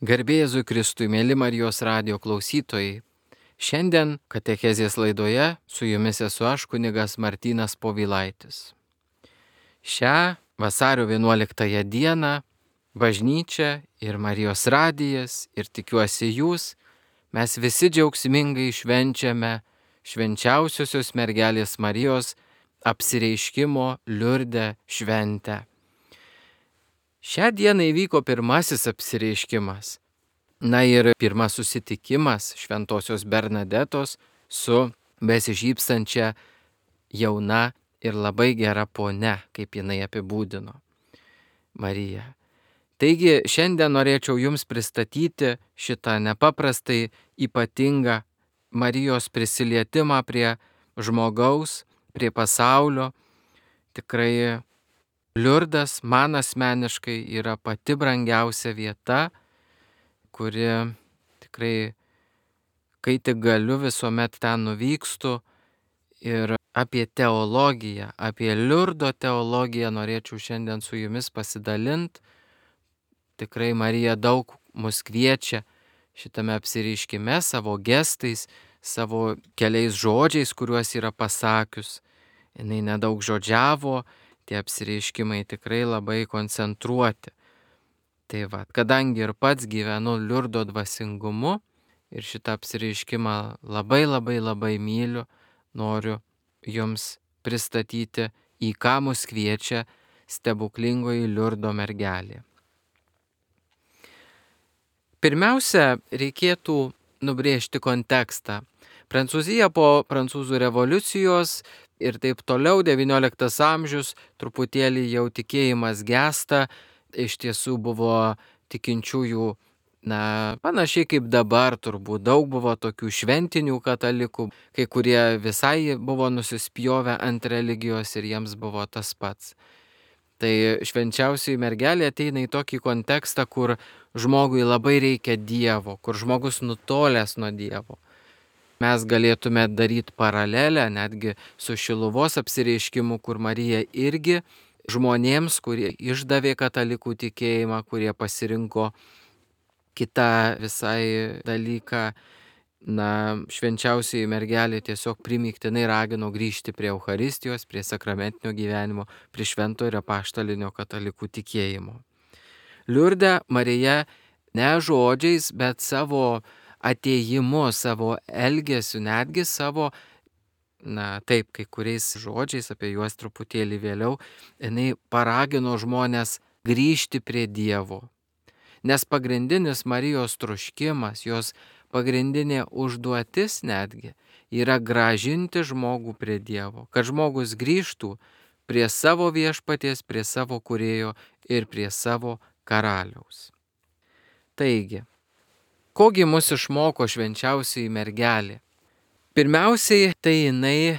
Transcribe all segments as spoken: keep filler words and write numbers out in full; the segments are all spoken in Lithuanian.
Garbė Jėzui Kristui, mėly Marijos radijo klausytojai. Šiandien katechezės laidoje su jumis esu aš, kunigas Martynas Povilaitis. Šią vasario vienuoliktąją dieną bažnyčia ir Marijos radijas ir tikiuosi jūs, mes visi džiaugsmingai švenčiame švenčiausiosios mergelės Marijos apsireiškimo Liurde šventę. Šią dieną įvyko pirmasis apsireiškimas. Na ir pirmas susitikimas šventosios Bernadetos su besišypsančia jauna ir labai gera ponia, kaip jinai apibūdino Mariją. Taigi šiandien norėčiau jums pristatyti šitą nepaprastai ypatingą Marijos prisilietimą prie žmogaus, prie pasaulio. Tikrai Liurdas man asmeniškai yra pati brangiausia vieta, kuri tikrai, kai tik galiu, visuomet ten nuvykstu. Ir apie teologiją, apie Liurdo teologiją norėčiau šiandien su jumis pasidalinti. Tikrai Marija daug mus kviečia šitame apsireiškime savo gestais, savo keliais žodžiais, kuriuos yra pasakius. Jinai nedaug žodžiavo, tie apsireiškimai tikrai labai koncentruoti. Tai va, kadangi ir pats gyvenu Liurdo dvasingumu ir šitą apsireiškimą labai labai labai myliu, noriu jums pristatyti, į ką mus kviečia stebuklingoji Liurdo mergelė. Pirmiausia, reikėtų nubrėžti kontekstą. Prancūzija po prancūzų revoliucijos ir taip toliau, devynioliktas amžius, truputėlį jau tikėjimas gęsta, iš tiesų buvo tikinčiųjų, na, panašiai kaip dabar turbūt, daug buvo tokių šventinių katalikų, kai kurie visai buvo nusispjovę ant religijos ir jiems buvo tas pats. Tai švenčiausioji mergelė ateina į tokį kontekstą, kur žmogui labai reikia Dievo, kur žmogus nutolęs nuo Dievo. Mes galėtume daryti paralelę netgi su Šiluvos apsireiškimu, kur Marija irgi žmonėms, kurie išdavė katalikų tikėjimą, kurie pasirinko kitą visai dalyką, na, švenčiausioji mergelė tiesiog primygtinai ragino grįžti prie Eucharistijos, prie sakramentinio gyvenimo, prie švento ir apaštalinio katalikų tikėjimo. Liurde Marija ne žodžiais, bet savo atėjimu, savo elgesiu, netgi savo, na taip, kai kuriais žodžiais, apie juos truputėlį vėliau, jinai paragino žmonės grįžti prie Dievo. Nes pagrindinis Marijos troškimas, jos pagrindinė užduotis netgi yra grąžinti žmogų prie Dievo, kad žmogus grįžtų prie savo viešpaties, prie savo kūrėjo ir prie savo karaliaus. Taigi, kogi mus išmoko švenčiausioji mergelė? Pirmiausiai, tai jinai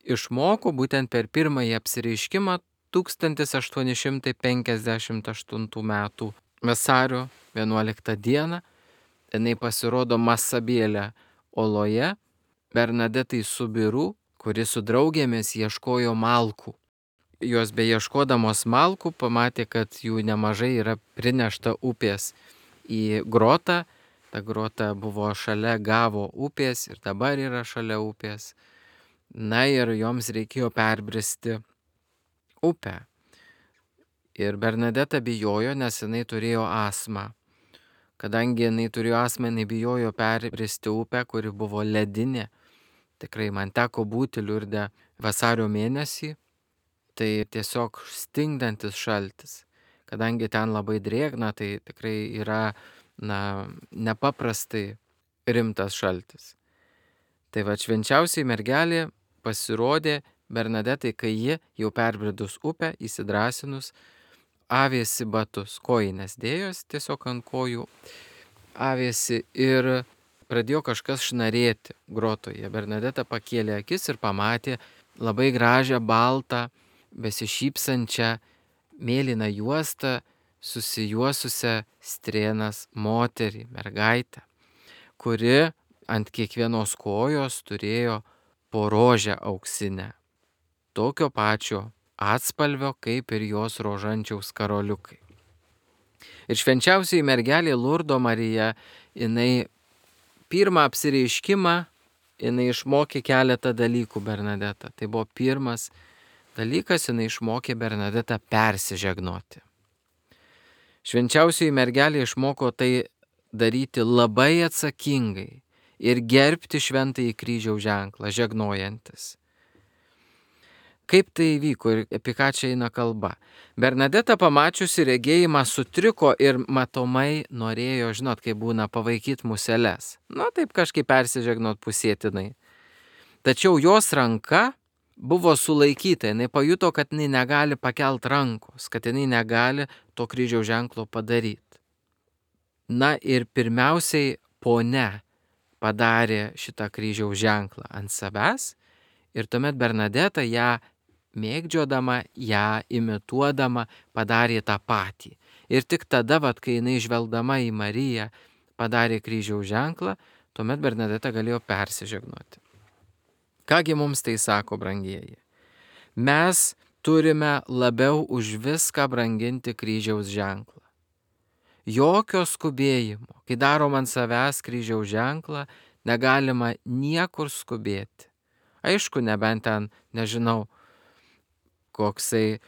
išmoko būtent per pirmąjį apsireiškimą tūkstantis aštuoni šimtai penkiasdešimt aštuntų metų vasario vienuoliktą dieną. Jinai pasirodo Masabėlė oloje, Bernadetai Subiru, kuri su draugėmis ieškojo malkų. Jos beieškodamos malkų pamatė, kad jų nemažai yra prinešta upės į grotą. Ta grota buvo šalia Gavo upės ir dabar yra šalia upės. Na ir joms reikėjo perbristi upę. Ir Bernadeta bijojo, nes jinai turėjo astmą. Kadangi jinai turėjo astmą, jinai bijojo perbristi upę, kuri buvo ledinė. Tikrai man teko būti Liurde vasario mėnesį. Tai tiesiog stingdantis šaltis. Kadangi ten labai drėgna, tai tikrai yra, na, nepaprastai rimtas šaltis. Tai va, švenčiausiai mergelė pasirodė Bernadetai, kai ji jau perbridus upę, įsidrasinus, avėsi batus, kojines dėjos tiesiog ant kojų, avėsi ir pradėjo kažkas šnarėti grotoje. Bernadeta pakėlė akis ir pamatė labai gražią, baltą, besišypsančią, mėlyną juostą, susijuosusią strėnas moterį, mergaitę, kuri ant kiekvienos kojos turėjo po rožę auksinę, tokio pačio atspalvio kaip ir jos rožančiaus karoliukai. Ir švenčiausiai mergelė Lurdo Marija, jinai pirmą apsireiškimą, jinai išmokė keletą dalykų Bernadetą. Tai buvo pirmas dalykas, jinai išmokė Bernadetą persižegnoti. Švenčiausioji mergelė išmoko tai daryti labai atsakingai ir gerbti šventąjį kryžiaus ženklą, žegnojantis. Kaip tai įvyko ir apie ką čia eina kalba? Bernadeta pamačiusi regėjimą sutriko ir matomai norėjo, žinot, kaip būna, pavaikyti museles. Nu, taip kažkaip persižegnot pusėtinai. Tačiau jos ranka buvo sulaikyta, jinai pajuto, kad jinai negali pakelt rankos, kad jinai negali to kryžiaus ženklo padaryti. Na ir pirmiausiai ponia padarė šitą kryžiaus ženklą ant savęs ir tuomet Bernadeta ją mėgdžiodama, ją imituodama padarė tą patį. Ir tik tada, vat, kai jinai žvelgdama į Mariją padarė kryžiaus ženklą, tuomet Bernadeta galėjo persižegnoti. Kągi mums tai sako, brangieji? Mes turime labiau už viską branginti kryžiaus ženklą. Jokio skubėjimo, kai darom ant savęs kryžiaus ženklą, negalima niekur skubėti. Aišku, nebent ten, nežinau, koksai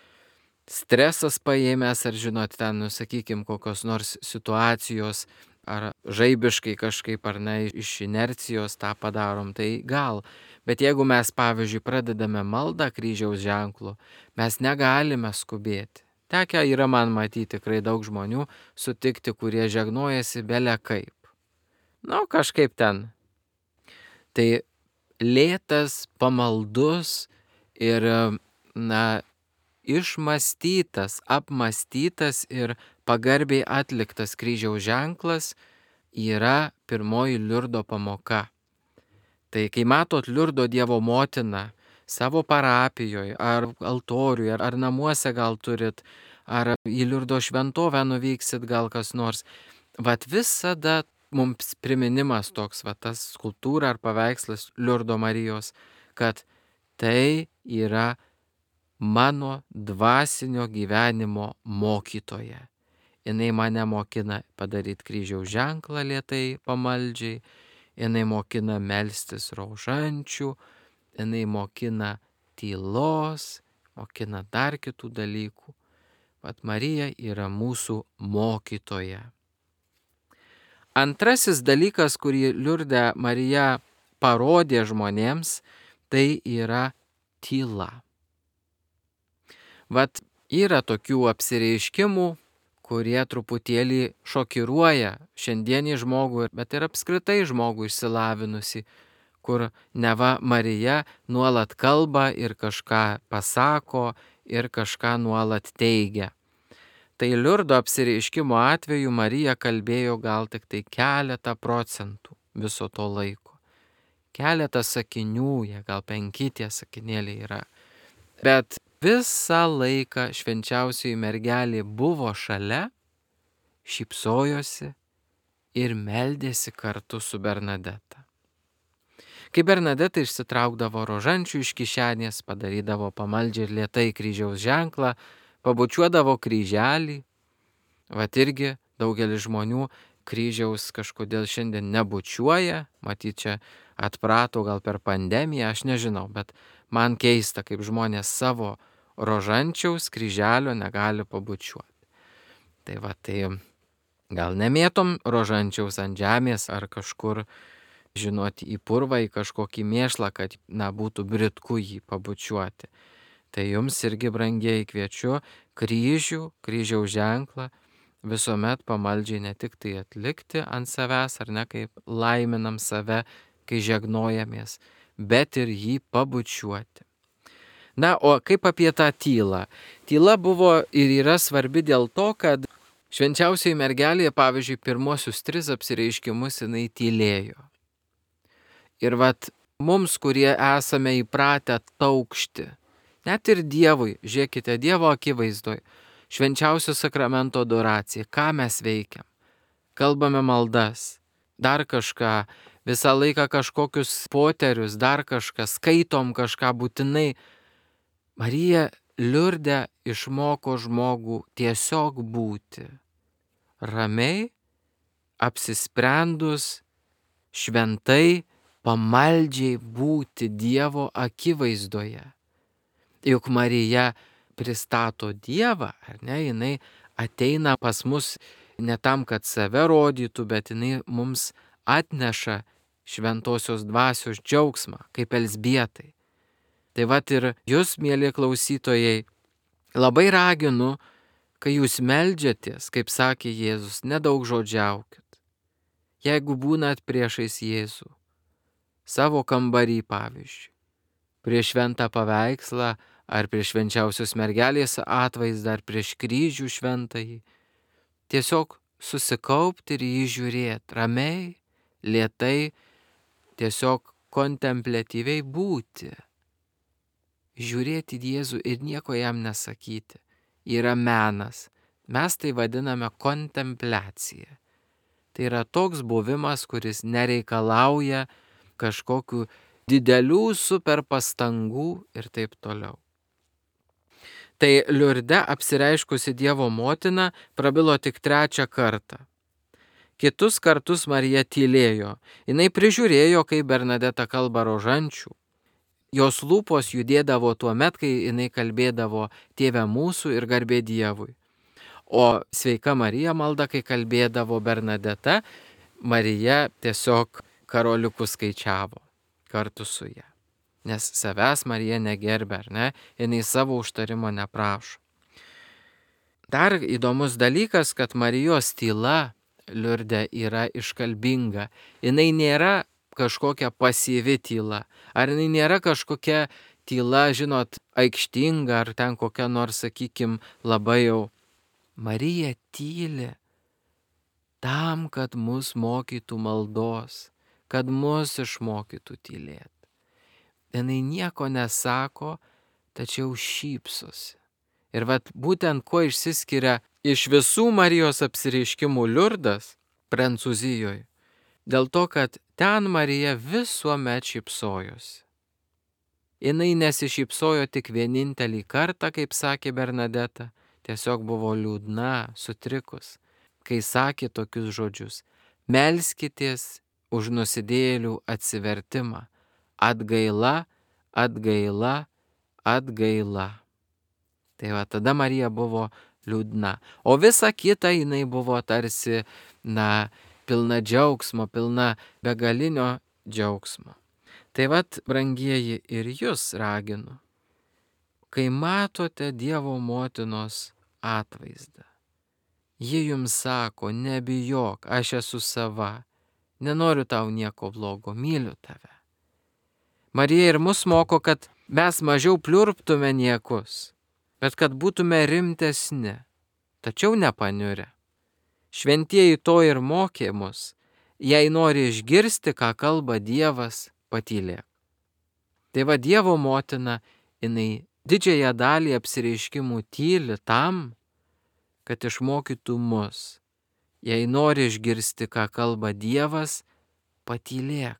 stresas paėmęs, ar žinot, ten, nu, sakykim, kokios nors situacijos, ar žaibiškai kažkaip, ar ne, iš inercijos tą padarom, tai gal. Bet jeigu mes, pavyzdžiui, pradedame maldą kryžiaus ženklu, mes negalime skubėti. Tekę yra man matyti tikrai daug žmonių sutikti, kurie žegnojasi bele kaip. Nu, kažkaip ten. Tai lėtas, pamaldus ir, na, išmąstytas, apmąstytas ir pagarbiai atliktas kryžiaus ženklas yra pirmoji Liurdo pamoka. Tai kai matot Liurdo Dievo motiną savo parapijoje, ar altoriuje, ar namuose gal turit, ar į Liurdo šventovę nuvyksit gal kas nors, vat visada mums priminimas toks, vat tas skulptūra ar paveikslas Liurdo Marijos, kad tai yra mano dvasinio gyvenimo mokytoja. Jinai mane mokina padaryti kryžiaus ženklą lėtai, pamaldžiai, jinai mokina melstis rožančių, jinai mokina tylos, mokina dar kitų dalykų. Vat Marija yra mūsų mokytoja. Antrasis dalykas, kurį Liurde Marija parodė žmonėms, tai yra tyla. Vat yra tokių apsireiškimų, kurie truputėlį šokiruoja šiandienį žmogų, bet ir apskritai žmogų išsilavinusi, kur neva Marija nuolat kalba ir kažką pasako ir kažką nuolat teigia. Tai Liurdo apsireiškimo atveju Marija kalbėjo gal tik tai keletą procentų viso to laiko. Keletą sakinių, jie gal penki tie sakinėliai yra. Bet visą laiką švenčiausioji mergelė buvo šalia, šypsojosi ir meldėsi kartu su Bernadeta. Kai Bernadeta išsitraukdavo rožančių iš kišenės, padarydavo pamaldžiai ir lėtai kryžiaus ženklą, pabučiuodavo kryželį, vat irgi daugelis žmonių kryžiaus kažkodėl šiandien nebučiuoja, matyt, čia atprato gal per pandemiją, aš nežinau, bet man keista, kaip žmonės savo rožančiaus kryželio negali pabučiuoti. Tai va, tai gal nemėtom rožančiaus ant žemės ar kažkur, žinoti, į purvą, į kažkokį mėšlą, kad, na, būtų britku jį pabučiuoti. Tai jums irgi, brangieji, kviečiu kryžių, kryžiaus ženklą visuomet pamaldžiai ne tik tai atlikti ant savęs, ar ne, kaip laiminam save, kai žegnojamės, bet ir jį pabučiuoti. Na, o kaip apie tą tylą? Tyla buvo ir yra svarbi dėl to, kad švenčiausioji mergelė, pavyzdžiui, pirmosius tris apsireiškimus jinai tylėjo. Ir vat mums, kurie esame įpratę taukšti, net ir Dievui, žiūrėkite, Dievo akivaizdoj, švenčiausio sakramento adoracija, ką mes veikiam? Kalbame maldas, dar kažką, visą laiką kažkokius poterius, dar kažką, skaitom kažką būtinai. Marija Liurde išmoko žmogų tiesiog būti, ramiai, apsisprendus, šventai, pamaldžiai būti Dievo akivaizdoje. Juk Marija pristato Dievą, ar ne, jinai ateina pas mus ne tam, kad save rodytų, bet jinai mums atneša šventosios dvasios džiaugsmą, kaip Elzbietai. Tai vat ir jūs, mieli klausytojai, labai raginu, kai jūs meldžiatės, kaip sakė Jėzus, nedaug žodžiaukit. Jeigu būnat priešais Jėzų, savo kambarį pavyzdžiui, prieš šventą paveikslą, ar prieš švenčiausios mergelės atvaizdą, ar prieš kryžių šventąjį, tiesiog susikaupti ir jį žiūrėti, ramiai, lėtai, tiesiog kontempliatyviai būti. Žiūrėti Jėzų ir nieko jam nesakyti. Yra menas. Mes tai vadiname kontempliacija. Tai yra toks buvimas, kuris nereikalauja kažkokių didelių super pastangų ir taip toliau. Tai Liurde apsireiškusi Dievo motina prabilo tik trečią kartą. Kitus kartus Marija tylėjo. Jinai prižiūrėjo, kaip Bernadeta kalba rožančių. Jos lūpos judėdavo tuo met, kai jinai kalbėdavo Tėve mūsų ir garbė Dievui. O sveika Marija malda, kai kalbėdavo Bernadeta, Marija tiesiog karoliukus skaičiavo kartu su ja. Nes savęs Marija negerbė, ar ne? Jinai savo užtarimo neprašo. Dar įdomus dalykas, kad Marijos tyla Liurde yra iškalbinga. Jinai nėra kažkokia pasyvi tyla. Ar jinai nėra kažkokia tyla, žinot, aikštinga, ar ten kokia nors, sakykim, labai jau. Marija tyli tam, kad mus mokytų maldos, kad mus išmokytų tylėti. Jinai nieko nesako, tačiau šypsosi. Ir vat būtent kuo išsiskiria iš visų Marijos apsireiškimų Liurdas Prancūzijoje, dėl to, kad ten Marija visuomet šypsojosi. Jinai nesišypsojo tik vienintelį kartą, kaip sakė Bernadeta, tiesiog buvo liūdna, sutrikus, kai sakė tokius žodžius: melskitės už nusidėjėlių atsivertimą, atgaila, atgaila, atgaila. Tai va tada Marija buvo liūdna, o visa kita jinai buvo tarsi, na, pilna džiaugsmo, pilna begalinio džiaugsmo. Tai vat, brangieji, ir jūs raginu, kai matote Dievo motinos atvaizdą, ji jums sako: nebijok, aš esu sava, nenoriu tau nieko blogo, myliu tave. Marija ir mus moko, kad mes mažiau pliurptume niekus, bet kad būtume rimtesni, tačiau nepaniurę. Šventieji to ir mokė mus: jei nori išgirsti, ką kalba Dievas, patylėk. Tai va, Dievo motina, jinai didžiąją dalį apsireiškimų tyli tam, kad išmokytų mus: jei nori išgirsti, ką kalba Dievas, patylėk.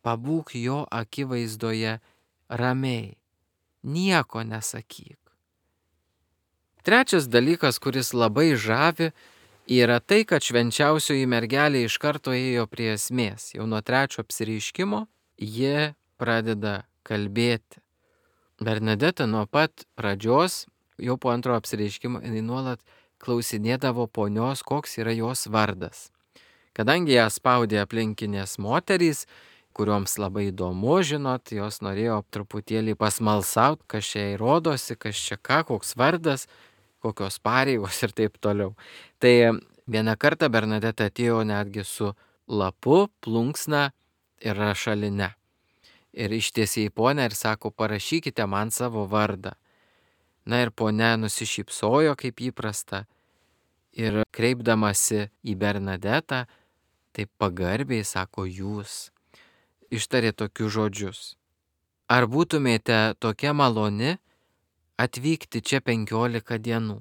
Pabūk jo akivaizdoje ramiai, nieko nesakyk. Trečias dalykas, kuris labai žavi, yra tai, kad švenčiausioji mergelė iš karto ėjo prie esmės. Jau nuo trečio apsireiškimo ji pradeda kalbėti. Bernadeta nuo pat pradžios, jau po antro apsireiškimo, jinai nuolat klausinėdavo ponios, koks yra jos vardas. Kadangi ją spaudė aplinkinės moterys, kurioms labai įdomu, žinot, jos norėjo truputėlį pasmalsauti, kas čia įrodosi, kas čia ką, koks vardas, kokios pareigos ir taip toliau. Tai vieną kartą Bernadeta atėjo netgi su lapu, plunksna ir rašaline. Ir ištiesė į ponę ir sako: parašykite man savo vardą. Na ir ponė nusišypsojo kaip įprasta ir kreipdamasi į Bernadetą, taip pagarbiai sako: jūs. Ištarė tokius žodžius: ar būtumėte tokia maloni atvykti čia penkiolika dienų?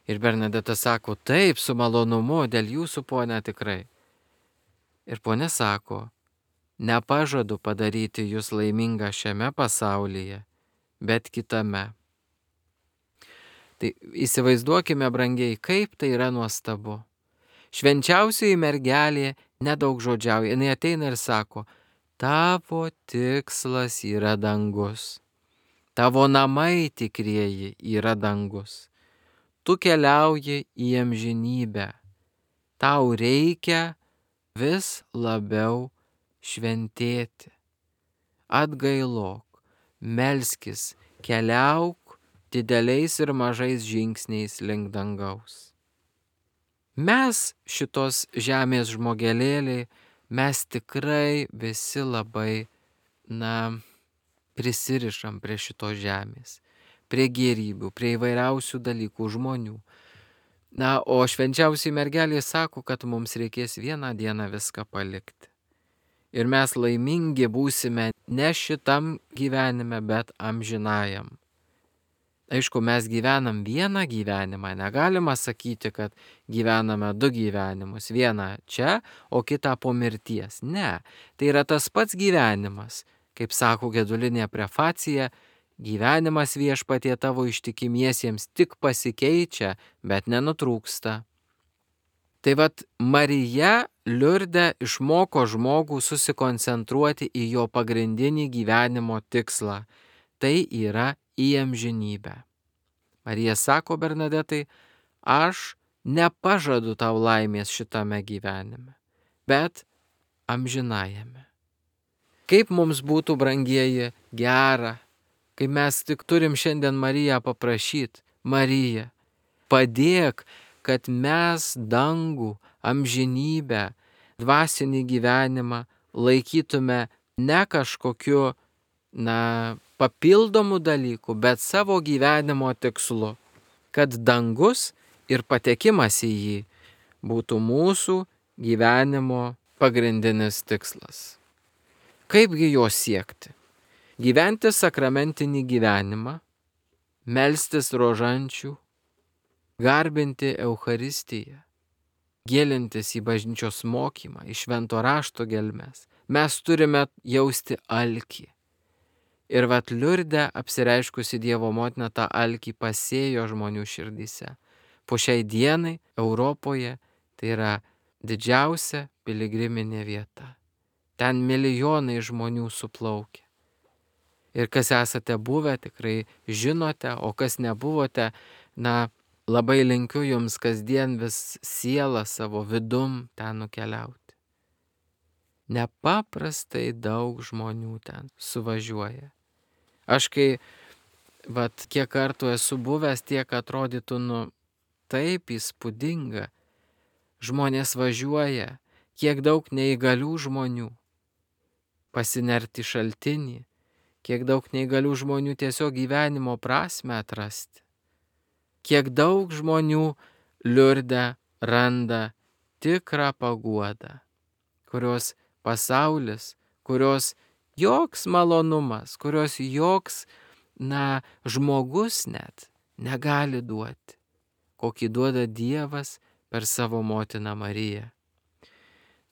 Ir Bernadeta sako: taip, su malonumu, dėl jūsų, ponia, tikrai. Ir ponia sako: nepažadu padaryti jūs laimingą šiame pasaulyje, bet kitame. Tai įsivaizduokime, brangiai, kaip tai yra nuostabu. Švenčiausioji mergelė nedaug žodžiauja, jinai ateina ir sako, tavo tikslas yra dangus, tavo namai tikrieji yra dangus, tu keliauji į amžinybę, tau reikia vis labiau šventėti, atgailok, melskis, keliauk dideliais ir mažais žingsniais link dangaus. Mes šitos žemės žmogelėliai, mes tikrai visi labai, na, prisirišam prie šitos žemės, prie gėrybių, prie įvairiausių dalykų, žmonių. Na, o švenčiausiai mergelė sako, kad mums reikės vieną dieną viską palikti. Ir mes laimingi būsime ne šitam gyvenime, bet amžinajam. Aišku, mes gyvenam vieną gyvenimą, negalima sakyti, kad gyvename du gyvenimus, vieną čia, o kitą po mirties. Ne, tai yra tas pats gyvenimas, kaip sako gedulinė prefacija, gyvenimas viešpatie tavo ištikimiesiems tik pasikeičia, bet nenutrūksta. Tai vat Marija Liurde išmoko žmogų susikoncentruoti į jo pagrindinį gyvenimo tikslą, tai yra į amžinybę. Marija sako Bernadetai, aš nepažadu tau laimės šitame gyvenime, bet amžinajame. Kaip mums būtų, brangieji, gera, kai mes tik turim šiandien Mariją paprašyti, Marija, padėk, kad mes dangų, amžinybę, dvasinį gyvenimą laikytume ne kažkokiu, na, papildomų dalykų, bet savo gyvenimo tikslu, kad dangus ir patekimas į jį būtų mūsų gyvenimo pagrindinis tikslas. Kaipgi jo siekti? Gyventi sakramentinį gyvenimą, melstis rožančių, garbinti Eucharistiją, gilintis į bažnyčios mokymą, į švento rašto gelmes. Mes turime jausti alkį. Ir vat Liurde apsireiškusi Dievo motina tą alkį pasėjo žmonių širdyse. Po šiai dienai Europoje tai yra didžiausia piligriminė vieta. Ten milijonai žmonių suplaukia. Ir kas esate buvę, tikrai žinote, o kas nebuvote, na, labai linkiu jums kasdien vis sielą savo vidum ten nukeliauti. Nepaprastai daug žmonių ten suvažiuoja. Aš kai, vat, kiek kartų esu buvęs, tiek atrodytų, nu, taip įspūdinga. Žmonės važiuoja, kiek daug neįgalių žmonių pasinerti šaltinį, kiek daug neįgalių žmonių tiesiog gyvenimo prasme atrasti. Kiek daug žmonių Liurde randa tikrą paguodą, kurios pasaulis, kurios joks malonumas, kurios joks, na, žmogus net negali duoti, kokį duoda Dievas per savo motiną Mariją.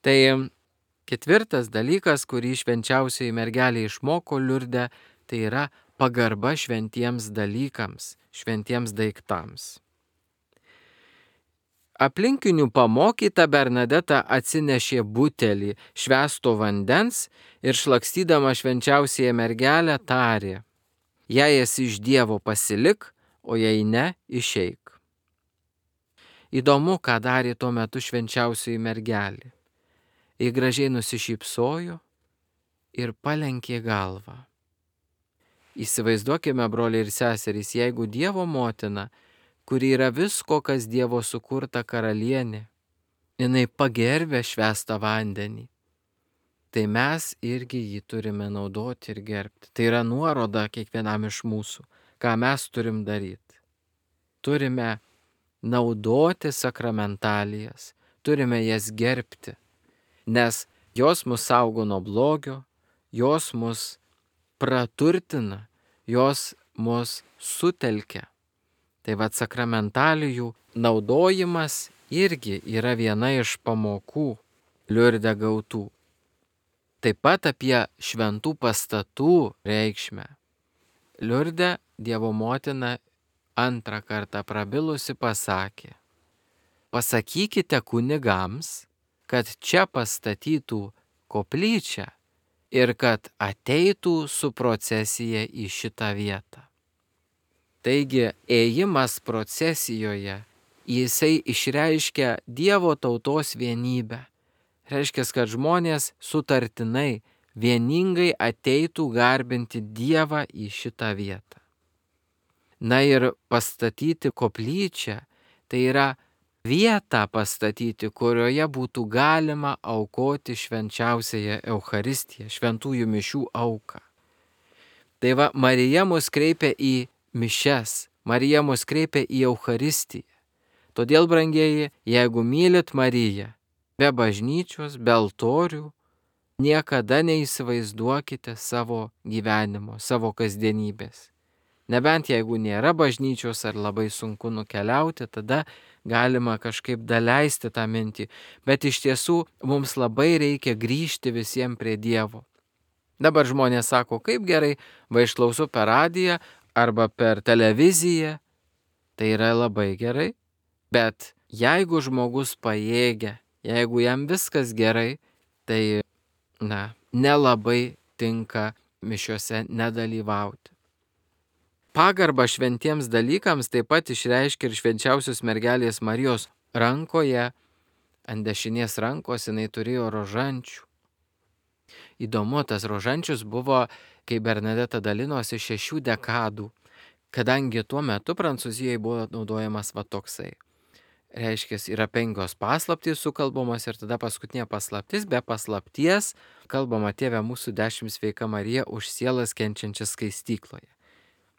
Tai ketvirtas dalykas, kurį švenčiausioji mergelė išmoko Liurde, tai yra pagarba šventiems dalykams, šventiems daiktams. Aplinkinių pamokyta Bernadeta atsinešė butelį švęsto vandens ir šlakstydama švenčiausiąją mergelę tarė, jei esi iš Dievo pasilik, o jei ne, išeik. Įdomu, ką darė tuo metu švenčiausioji mergelė. Ji gražiai nusišypsojo ir palenkė galvą. Įsivaizduokime, broliai ir seserys, jeigu Dievo motina, kuri yra visko, kas Dievo sukurta karalienė, jinai pagerbė švęstą vandenį, tai mes irgi jį turime naudoti ir gerbti. Tai yra nuoroda kiekvienam iš mūsų, ką mes turim daryti. Turime naudoti sakramentalijas, turime jas gerbti, nes jos mus saugo nuo blogio, jos mus praturtina, jos mus sutelkia. Tai vat sakramentalijų naudojimas irgi yra viena iš pamokų Liurde gautų. Taip pat apie šventų pastatų reikšmę. Liurde Dievo motina antrą kartą prabilusi pasakė: pasakykite kunigams, kad čia pastatytų koplyčią ir kad ateitų su procesija į šitą vietą. Taigi ėjimas procesijoje, jisai išreiškia Dievo tautos vienybę. Reiškia, kad žmonės sutartinai, vieningai ateitų garbinti Dievą į šitą vietą. Na ir pastatyti koplyčią, tai yra vietą pastatyti, kurioje būtų galima aukoti švenčiausiąją Eucharistiją, šventųjų mišių auką. Tai va, Marija mus kreipia į mišias, Marija mus kreipia į Eucharistiją. Todėl, brangieji, jeigu mylit Mariją, be bažnyčios, be altorių, niekada neįsivaizduokite savo gyvenimo, savo kasdienybės. Nebent jeigu nėra bažnyčios ar labai sunku nukeliauti, tada galima kažkaip daleisti tą mintį. Bet iš tiesų mums labai reikia grįžti visiems prie Dievo. Dabar žmonės sako, kaip gerai, va išklausu per radiją arba per televiziją. Tai yra labai gerai. Bet jeigu žmogus pajėgia, jeigu jam viskas gerai, tai, na, nelabai tinka mišiose nedalyvauti. Pagarbą šventiems dalykams taip pat išreiškia ir švenčiausios mergelės Marijos rankoje, ant dešinės rankos jinai turėjo rožančių. Įdomu, tas rožančius buvo, kai Bernadeta dalinosi, šešių dekadų, kadangi tuo metu Prancūzijoje buvo naudojamas va toksai. Reiškia, yra penkios paslaptys sukalbamos ir tada paskutinė paslaptis, be paslapties kalbama Tėve mūsų dešimt sveika Marija už sielas kenčiančias skaistykloje.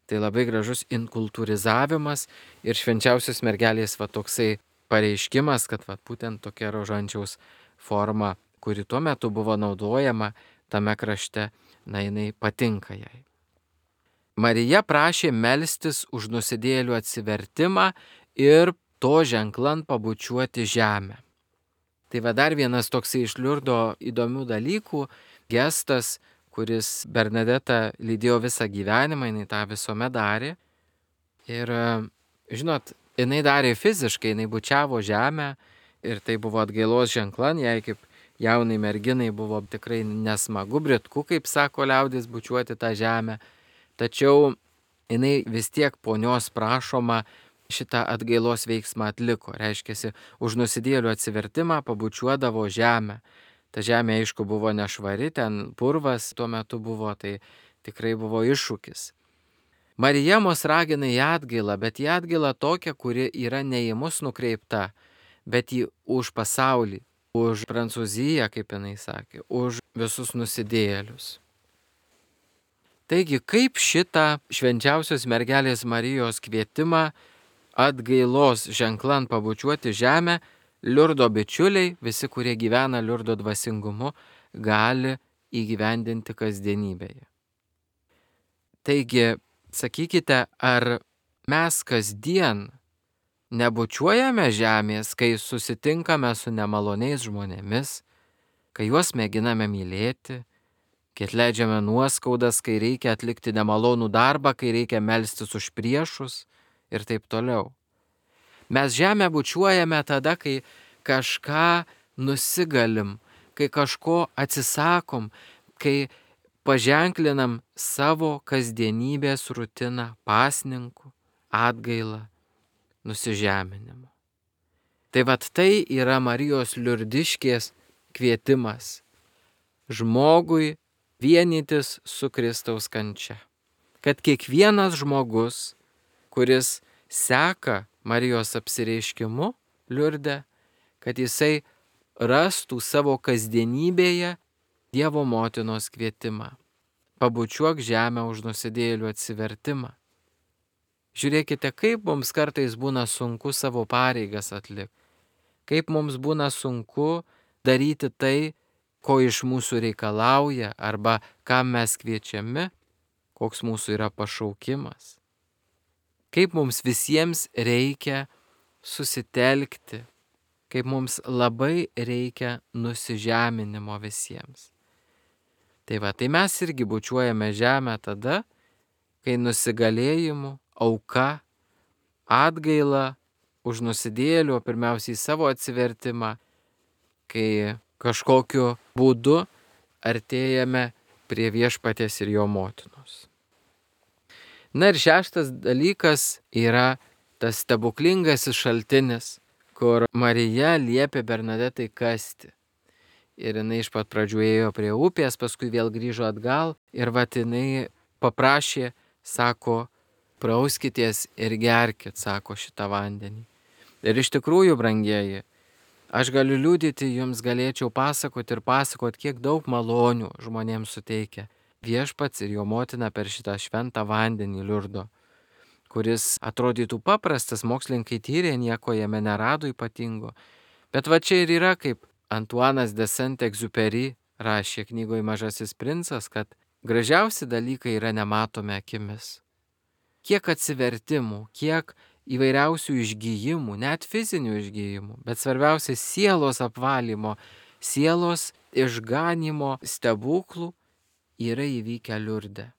Tai labai gražus inkultūrizavimas ir švenčiausios mergelės va toksai pareiškimas, kad va būtent tokia rožančiaus forma, kuri tuo metu buvo naudojama tame krašte, na jinai patinka jai. Marija prašė melstis už nusidėjėlių atsivertimą ir to ženklan pabučiuoti žemę. Tai va dar vienas toksai iš Liurdo įdomių dalykų, gestas, kuris Bernadetą lydėjo visą gyvenimą, jinai tą visuomet darė. Ir, žinot, jinai darė fiziškai, jinai bučiavo žemę ir tai buvo atgailos ženklan, jai kaip jaunai merginai buvo tikrai nesmagu, britku, kaip sako liaudis, bučiuoti tą žemę. Tačiau jinai vis tiek ponios prašoma šitą atgailos veiksmą atliko. Reiškiasi, už nusidėjėlių atsivertimą pabučiuodavo žemę. Ta žemė, aišku, buvo nešvari, ten purvas tuo metu buvo, tai tikrai buvo iššūkis. Marija mus ragina į atgailą, bet į atgailą tokią, kuri yra ne į mus nukreipta, bet į už pasaulį, už Prancūziją, kaip jinai sakė, už visus nusidėjėlius. Taigi, kaip šitą švenčiausios mergelės Marijos kvietimą atgailos ženklan pabučiuoti žemę Liurdo bičiuliai, visi, kurie gyvena Liurdo dvasingumu, gali įgyvendinti kasdienybėje. Taigi, sakykite, ar mes kasdien nebučiuojame žemės, kai susitinkame su nemaloniais žmonėmis, kai juos mėginame mylėti, kai atleidžiame nuoskaudas, kai reikia atlikti nemalonų darbą, kai reikia melstis už priešus ir taip toliau. Mes žemę bučiuojame tada, kai kažką nusigalim, kai kažko atsisakom, kai paženklinam savo kasdienybės rutiną pasninku, atgailą, nusižeminimu. Tai vat tai yra Marijos liurdiškės kvietimas žmogui vienytis su Kristaus kančia. Kad kiekvienas žmogus, kuris seka Marijos apsireiškimu Liurde, kad jisai rastų savo kasdienybėje Dievo motinos kvietimą. Pabučiuok žemę už nusidėjėlių atsivertimą. Žiūrėkite, kaip mums kartais būna sunku savo pareigas atlikti. Kaip mums būna sunku daryti tai, ko iš mūsų reikalauja arba kam mes kviečiami, koks mūsų yra pašaukimas. Kaip mums visiems reikia susitelkti, kaip mums labai reikia nusižeminimo visiems. Tai va, tai mes irgi bučiuojame žemę tada, kai nusigalėjimu, auka, atgailą už nusidėjėlių, pirmiausiai savo atsivertimą, kai kažkokiu būdu artėjame prie Viešpaties ir jo motinos. Na ir šeštas dalykas yra tas stebuklingasis šaltinis, kur Marija liepė Bernadetai kasti. Ir jinai iš pat pradžių ėjo prie upės, paskui vėl grįžo atgal ir vat jinai paprašė, sako, prauskitės ir gerkit, sako, šitą vandenį. Ir iš tikrųjų, brangieji, aš galiu liudyti, jums galėčiau pasakoti ir pasakoti, kiek daug malonių žmonėms suteikia Viešpats ir jo motina per šitą šventą vandenį Liurdo, kuris atrodytų paprastas, mokslininkai tyrė, nieko jame nerado ypatingo. Bet va čia ir yra, kaip Antuanas de Saint-Exupéry rašė knygoje Mažasis princas, kad gražiausi dalykai yra nematomi akimis. Kiek atsivertimų, kiek įvairiausių išgyjimų, net fizinių išgyjimų, bet svarbiausia sielos apvalymo, sielos išganimo stebuklų yra įvykę Liurde.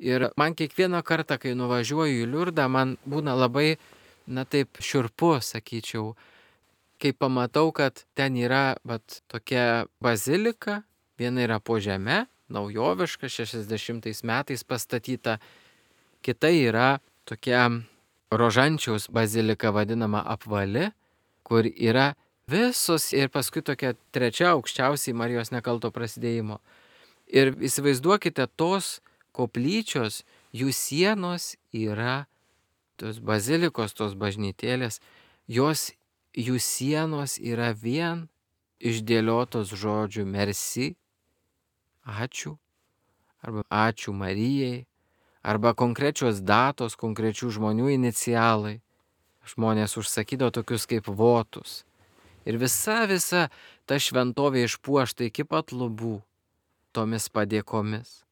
Ir man kiekvieną kartą, kai nuvažiuoju į Liurdą, man būna labai, na taip, šiurpu, sakyčiau, kai pamatau, kad ten yra vat, tokia bazilika, viena yra po žeme, naujoviška, šešiasdešimtais metais pastatyta, kita yra tokia Rožančiaus bazilika vadinama apvali, kur yra visos ir paskui tokia trečia aukščiausiai Marijos nekalto prasidėjimo. Ir įsivaizduokite, tos koplyčios, jų sienos yra, tos bazilikos, tos bažnytėlės, jos jų sienos yra vien išdėliotos žodžių merci, ačiū, arba ačiū Marijai, arba konkrečios datos, konkrečių žmonių inicialai. Žmonės užsakydavo tokius kaip votus. Ir visa, visa ta šventovė išpuošta iki pat lubų tomis padėkomis.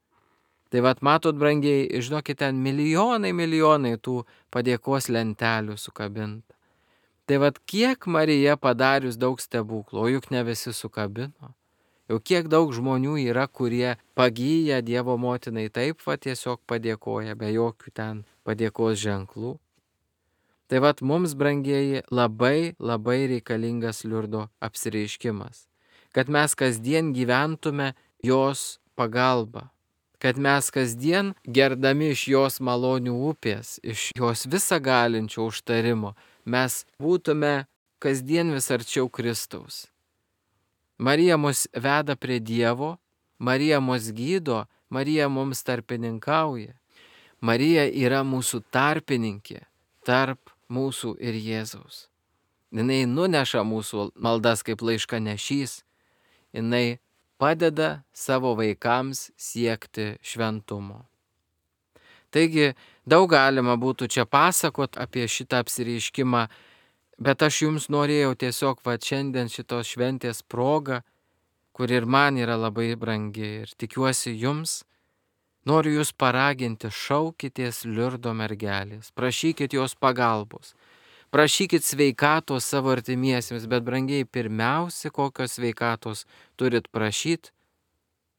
Tai vat matot, brangiai, žinokit, ten milijonai, milijonai tų padėkos lentelių sukabinta. Tai vat kiek Marija padarius daug stebuklų, o juk ne visi sukabino. Jau kiek daug žmonių yra, kurie pagyja Dievo motinai taip va tiesiog padėkoja, be jokių ten padėkos ženklų. Tai vat mums, brangieji, labai, labai reikalingas Liurdo apsireiškimas. Kad mes kasdien gyventume jos pagalba. Kad mes kasdien gerdami iš jos malonių upės, iš jos visagalinčio užtarimo, mes būtume kasdien vis arčiau Kristaus. Marija mus veda prie Dievo, Marija mus gydo, Marija mums tarpininkauja. Marija yra mūsų tarpininkė tarp mūsų ir Jėzaus. Jinai nuneša mūsų maldas kaip laiškanešys, jinai padeda savo vaikams siekti šventumo. Taigi, daug galima būtų čia pasakot apie šitą apsireiškimą, bet aš jums norėjau tiesiog va šiandien šitos šventės proga, kur ir man yra labai brangi ir tikiuosi jums, noriu jūs paraginti, šaukitės Liurdo mergelės, prašykit jos pagalbos, prašykit sveikatos savo artimiesiems, bet brangiai pirmiausia, kokios sveikatos turit prašyti,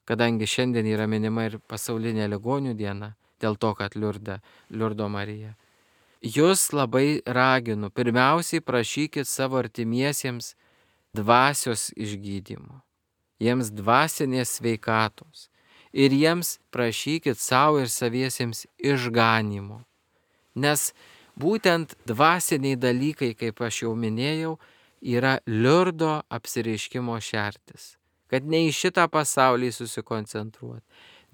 kadangi šiandien yra minima ir pasaulinė ligonių diena, dėl to, kad Liurda, Liurdo Marija. Jūs labai raginu, pirmiausiai prašykit savo artimiesiems dvasios išgydymo, jiems dvasinės sveikatos ir jiems prašykit savo ir saviesiems išganimo. Nes būtent dvasiniai dalykai, kaip aš jau minėjau, yra Liurdo apsireiškimo šertis. Kad ne į šitą pasaulį susikoncentruoti,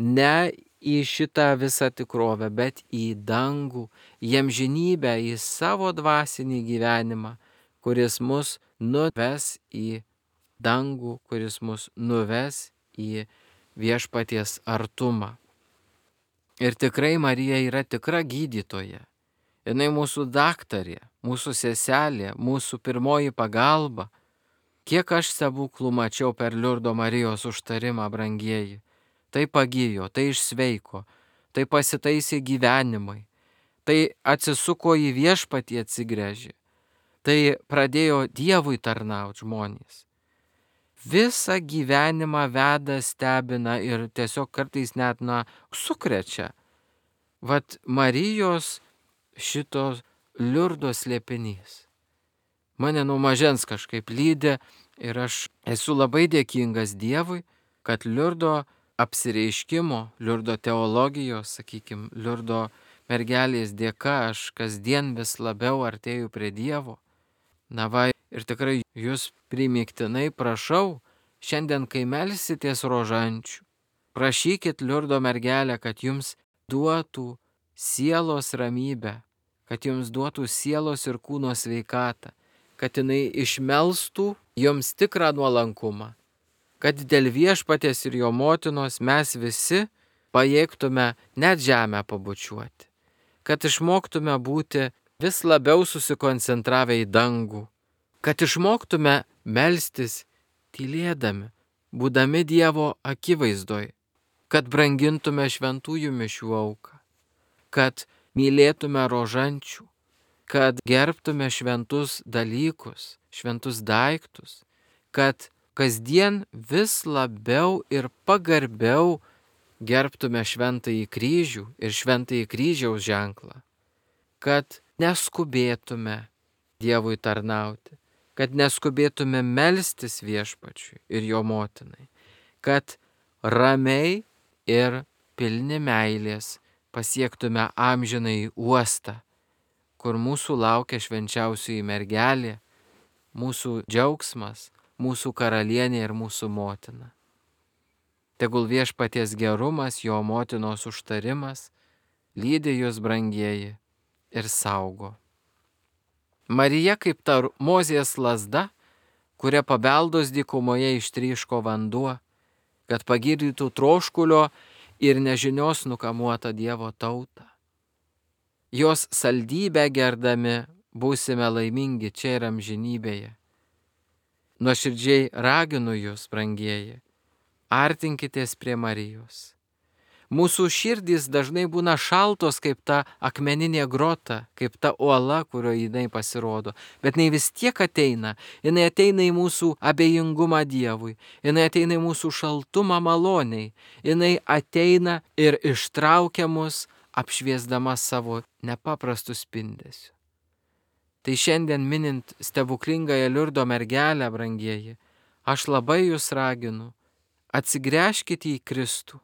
ne į šitą visą tikrovę, bet į dangų, į amžinybę, į savo dvasinį gyvenimą, kuris mus nuves į dangų, kuris mus nuves į viešpaties artumą. Ir tikrai Marija yra tikra gydytoja. Jinai mūsų daktarė, mūsų seselė, mūsų pirmoji pagalba. Kiek aš stebuklų mačiau per Liurdo Marijos užtarimą, brangieji. Tai pagijo, tai išsveiko, tai pasitaisė gyvenimai, tai atsisuko į viešpatį atsigręžė, tai pradėjo Dievui tarnauti žmonės. Visą gyvenimą veda, stebina ir tiesiog kartais net, na, sukrečia. Vat Marijos šitos Liurdo slėpinys. Mane nuo mažens kažkaip lydi ir aš esu labai dėkingas Dievui, kad Liurdo apsireiškimo, Liurdo teologijos, sakykime, Liurdo mergelės dėka aš kasdien vis labiau artėju prie Dievo. Na va, ir tikrai jūs primygtinai prašau, šiandien kai melsitės rožančių, prašykit Liurdo mergelę, kad jums duotų sielos ramybę, kad jums duotų sielos ir kūno sveikatą, kad jinai išmelstų jums tikrą nuolankumą, kad dėl Viešpaties ir jo motinos mes visi pajėgtume net žemę pabučiuoti, kad išmoktume būti vis labiau susikoncentravę į dangų, kad išmoktume melstis tylėdami, būdami Dievo akivaizdoj, kad brangintume šventųjų mišių auką, kad mylėtume rožančių, kad gerbtume šventus dalykus, šventus daiktus, kad kasdien vis labiau ir pagarbiau gerbtume šventąjį kryžių ir šventąjį kryžiaus ženklą, kad neskubėtume Dievui tarnauti, kad neskubėtume melstis Viešpačiui ir jo motinai, kad ramiai ir pilni meilės pasiektume amžinąjį uostą, kur mūsų laukia švenčiausioji mergelė, mūsų džiaugsmas, mūsų karalienė ir mūsų motina. Tegul Viešpaties gerumas, jo motinos užtarimas lydi jūs, brangieji, ir saugo. Marija kaip ta Mozės lazda, kuria pabeldus dykumoje ištryško vanduo, kad pagydytų troškulio ir nežinios nukamuotą Dievo tautą. Jos saldybę gerdami būsime laimingi čia ir amžinybėje. Nuoširdžiai raginu jūs, brangieji, artinkitės prie Marijos. Mūsų širdys dažnai būna šaltos kaip ta akmeninė grota, kaip ta uola, kurioje jinai pasirodo, bet jinai vis tiek ateina, jinai ateina į mūsų abejingumą Dievui, jinai ateina į mūsų šaltumą maloniai, jinai ateina ir ištraukia mus, apšviesdama savo nepaprastų spindesių. Tai šiandien minint stebuklingąją Liurdo mergelę, brangieji, aš labai jūs raginu, atsigręžkite į Kristų,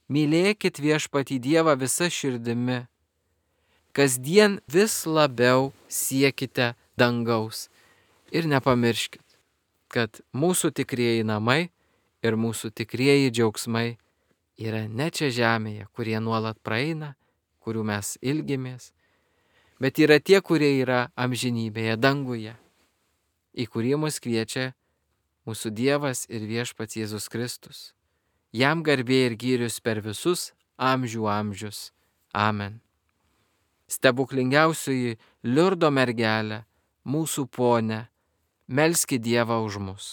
mylėkit Viešpatį Dievą visa širdimi, kasdien vis labiau siekite dangaus ir nepamirškit, kad mūsų tikrieji namai ir mūsų tikrieji džiaugsmai yra ne čia žemėje, kurie nuolat praeina, kurių mes ilgimės, bet yra tie, kurie yra amžinybėje, danguje, į kurį mus kviečia mūsų Dievas ir Viešpats Jėzus Kristus. Jam garbė ir gyrius per visus amžių amžius. Amen. Stebuklingiausioji Liurdo mergelė, mūsų ponė, melski Dievą už mus.